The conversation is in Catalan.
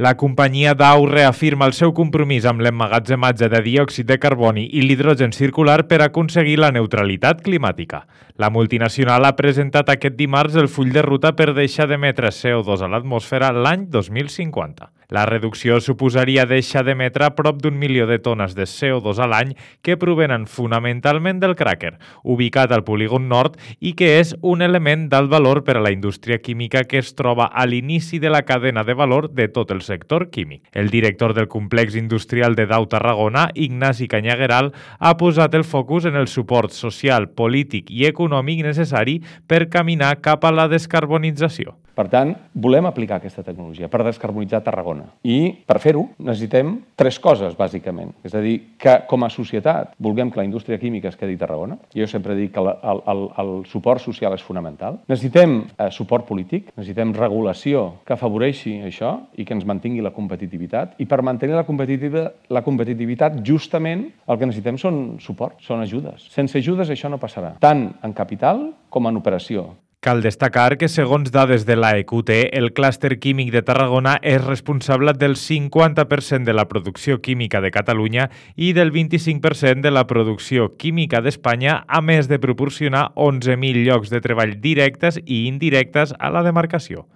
La companyia Dow reafirma el seu compromís amb l'emmagatzematge de diòxid de carboni i l'hidrogen circular per aconseguir la neutralitat climàtica. La multinacional ha presentat aquest dimarts el full de ruta per deixar d'emetre CO2 a l'atmosfera l'any 2050. La reducció suposaria deixar d'emetre prop d'1 milió de tones de CO2 a l'any que provenen fonamentalment del cràquer, ubicat al polígon nord i que és un element d'alt valor per a la indústria química que es troba a l'inici de la cadena de valor de tot el sector químic. El director del complex industrial de Dow Tarragona, Ignasi Cañagueral, ha posat el focus en el suport social, polític i econòmic necessari per caminar cap a la descarbonització. Per tant, volem aplicar aquesta tecnologia per descarbonitzar Tarragona. I per fer-ho necessitem 3 coses, bàsicament. És a dir, que com a societat vulguem que la indústria química es quedi a Tarragona. Jo sempre dic que el suport social és fonamental. Necessitem suport polític, necessitem regulació que afavoreixi això i que ens mantingui la competitivitat. I per mantenir la competitivitat, justament el que necessitem són suport, són ajudes. Sense ajudes això no passarà, tant en capital com en operació. Cal destacar que, segons dades de l'AEQT, el clúster químic de Tarragona és responsable del 50% de la producció química de Catalunya i del 25% de la producció química d'Espanya, a més de proporcionar 11.000 llocs de treball directes i indirectes a la demarcació.